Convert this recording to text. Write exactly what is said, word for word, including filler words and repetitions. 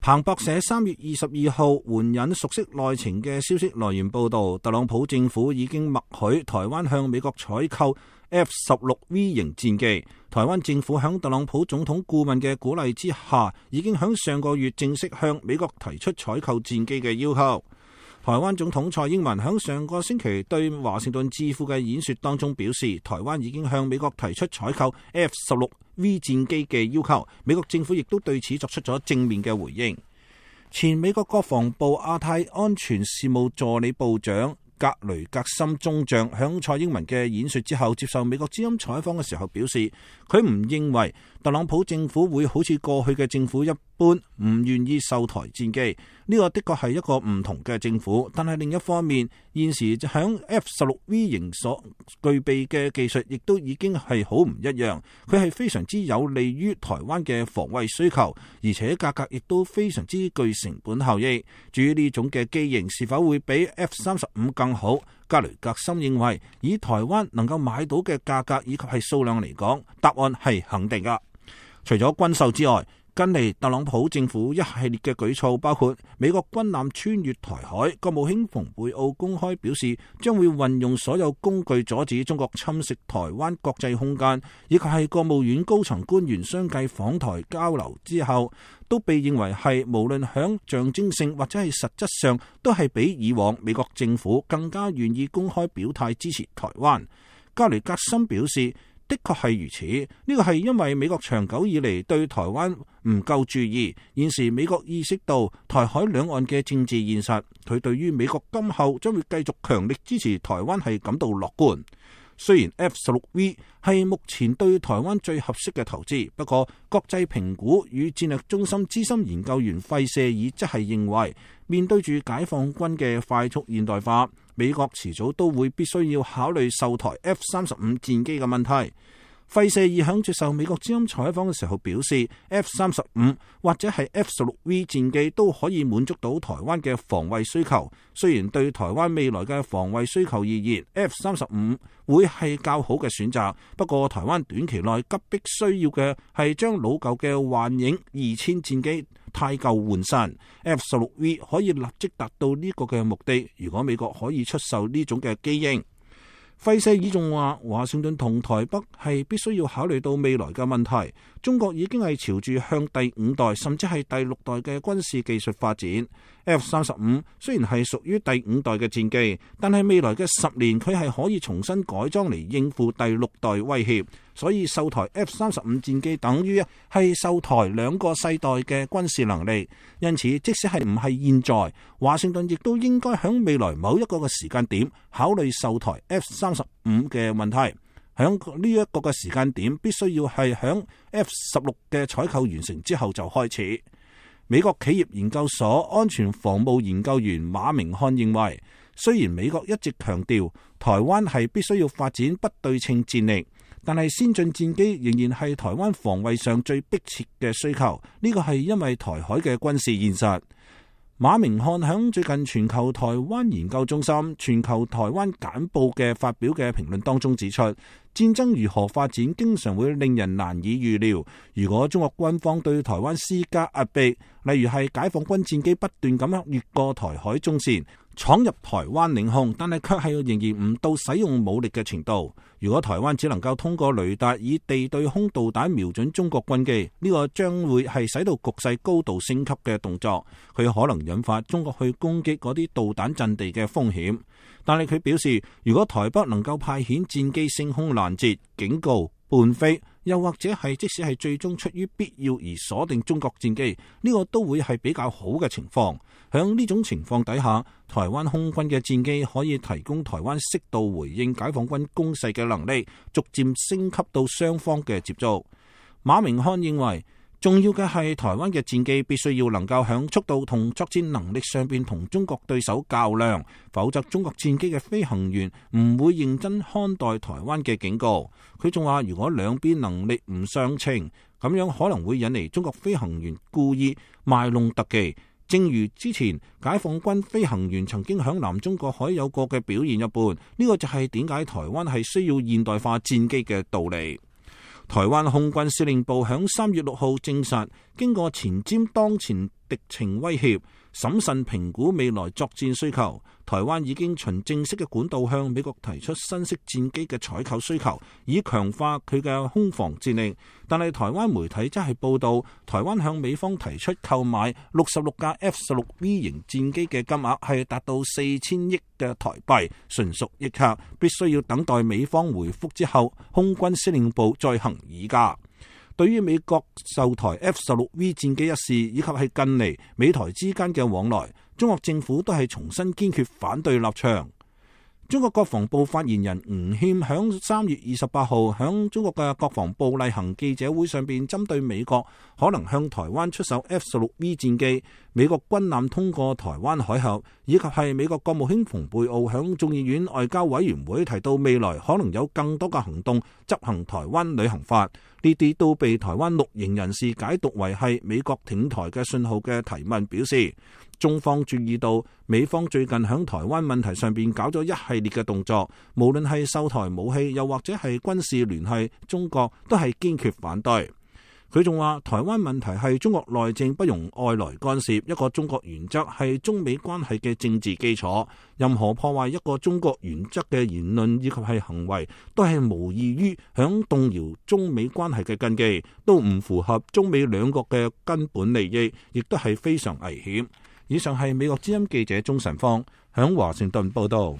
彭博社三月二十二號援引熟悉內情嘅消息來源報道，特朗普政府已經默許台灣向美國採購 F 十六 V 型戰機。台灣政府響特朗普總統顧問嘅鼓勵之下，已經響上個月正式向美國提出採購戰機嘅要求。台灣總統蔡英文響上個星期對華盛頓智庫嘅演說當中表示，台灣已經向美國提出採購 F 十六 V 戰機嘅要求，美國政府亦都對此作出咗正面嘅回應。前美國國防部亞太安全事務助理部長格雷格森中將響蔡英文嘅演說之後接受美國之音採訪嘅時候表示，佢唔認為特朗普政府會好似過去嘅政府一般唔願意售台戰機，呢個的確係一個唔同嘅政府。但係另一方面，現時響 F 十六 V 型所具備嘅技術亦都已經係好唔一樣，佢係非常之有利於台灣嘅防衛需求，而且價格亦都非常之具成本效益。至於呢種嘅機型是否會比 F 三十五更好，格雷格森認為以台灣能夠買到嘅價格以及係數量嚟講，答案係肯定噶。除咗軍售之外，近嚟特朗普政府一系列嘅舉措，包括美國軍艦穿越台海，國務卿蓬佩奧公開表示將會運用所有工具阻止中國侵蝕台灣國際空間，以及係國務院高層官員相繼訪台交流之後，都被認為係無論響象徵性或者係實質上，都係比以往美國政府更加願意公開表態支持台灣。格雷格森表示，的確係如此，呢個係因為美國長久以嚟對台灣唔夠注意，現時美國意識到台海兩岸嘅政治現實，佢對於美國今後將會繼續強力支持台灣係感到樂觀。雖然 F 十六 V 係目前對台灣最合適嘅投資，不過國際評估與戰略中心資深研究員費舍爾則係認為，面對住解放軍嘅快速現代化，美國遲早都會必須要考慮售台 F 三十五戰機嘅問題。費舍爾響接受美國之音採訪嘅時候表示 ，F 三十五或者係 F 十六 V 戰機都可以滿足到台灣嘅防衛需求。雖然對台灣未來嘅防衛需求而言 ，F 三十五會係較好嘅選擇。不過，台灣短期內急迫需要嘅係將老舊嘅幻影二千戰機汰舊換新 ，F 十六 V 可以立即達到呢個嘅目的。如果美國可以出售呢種嘅機型。費舍爾仲話，華盛頓同台北係必須要考慮到未來嘅問題。中國已經係朝住向第五代甚至係第六代嘅軍事技術發展。F 三十五雖然係屬於第五代嘅戰機，但係未來嘅十年佢係可以重新改裝嚟應付第六代威脅。所以售台 F 三十五戰機等於係售台兩個世代嘅軍事能力。因此，即使係唔係現在，華盛頓亦都應該喺未來某一個嘅時間點考慮售台 F 三十五嘅問題。響呢一個嘅時間點，必須要係響 F 十六嘅採購完成之後就開始。美國企業研究所安全防務研究員馬明漢認為，雖然美國一直強調台灣係必須要發展不對稱戰力，但係先進戰機仍然係台灣防衛上最迫切嘅需求。呢個係因為台海嘅軍事現實。馬明漢響最近全球台灣研究中心全球台灣簡報嘅發表嘅評論當中指出，戰爭如何發展經常會令人難以預料。如果中國軍方對台灣施加壓迫，例如係解放軍戰機不斷咁樣越過台海中線闖入台灣領空，但係卻係仍然唔到使用武力嘅程度。如果台灣只能夠通過雷達以地對空導彈瞄準中國軍機，呢個將會係使到局勢高度升級嘅動作，佢可能引發中國去攻擊嗰啲導彈陣地嘅風險。但係佢表示，如果台北能夠派遣戰機升空攔截、警告、伴飛，又或者係即使係最終出於必要而鎖定中國戰機，呢個都會係比較好嘅情況。響呢種情況底下，台灣空軍嘅戰機可以提供台灣適度回應解放軍攻勢嘅能力，逐漸升級到雙方嘅接觸。馬明漢認為，重要嘅係台灣嘅戰機必須要能夠響速度同作戰能力上邊同中國對手較量，否則中國戰機嘅飛行員唔會認真看待台灣嘅警告。佢仲話，如果兩邊能力唔相稱，咁樣可能會引嚟中國飛行員故意賣弄特技，正如之前解放軍飛行員曾經響南中國海有過嘅表現一般。呢個就係點解台灣係需要現代化戰機嘅道理。台灣空軍司令部響三月六號證實，經過前瞻當前敵情威脅，審慎評估未來作戰需求。台灣已經循正式嘅管道向美國提出新式戰機嘅採購需求，以強化佢嘅空防戰力。但係台灣媒體則係報道，台灣向美方提出購買六十六架 F 十六 V 型戰機嘅金額係達到四千億嘅台幣，純屬易客，必須要等待美方回覆之後，空軍司令部再行議價。對於美國售台 F 十六 V 戰機一事，以及係近嚟美台之間嘅往來，中國政府都係重新堅決反對立場。中國國防部發言人吳謙響三月二十八號響中國嘅國防部例行記者會上邊，針對美國可能向台灣出售 F 十六 V 戰機、美國軍艦通過台灣海峽，以及係美國國務卿蓬佩奧響眾議院外交委員會提到未來可能有更多嘅行動執行台灣旅行法，呢啲都被台灣綠營人士解讀為係美國挺台嘅信號嘅提問，表示中方注意到美方最近響台灣問題上邊搞咗一系列嘅動作，無論係售台武器又或者係軍事聯繫中國，都係堅決反對。佢仲話台灣問題係中國內政，不容外來干涉，一個中國原則係中美關係嘅政治基礎，任何破壞一個中國原則嘅言論以及係行為，都係無異於響動搖中美關係嘅根基，都唔符合中美兩國嘅根本利益，亦都係非常危險。以上係美國之音記者鍾晨芳響華盛頓報道。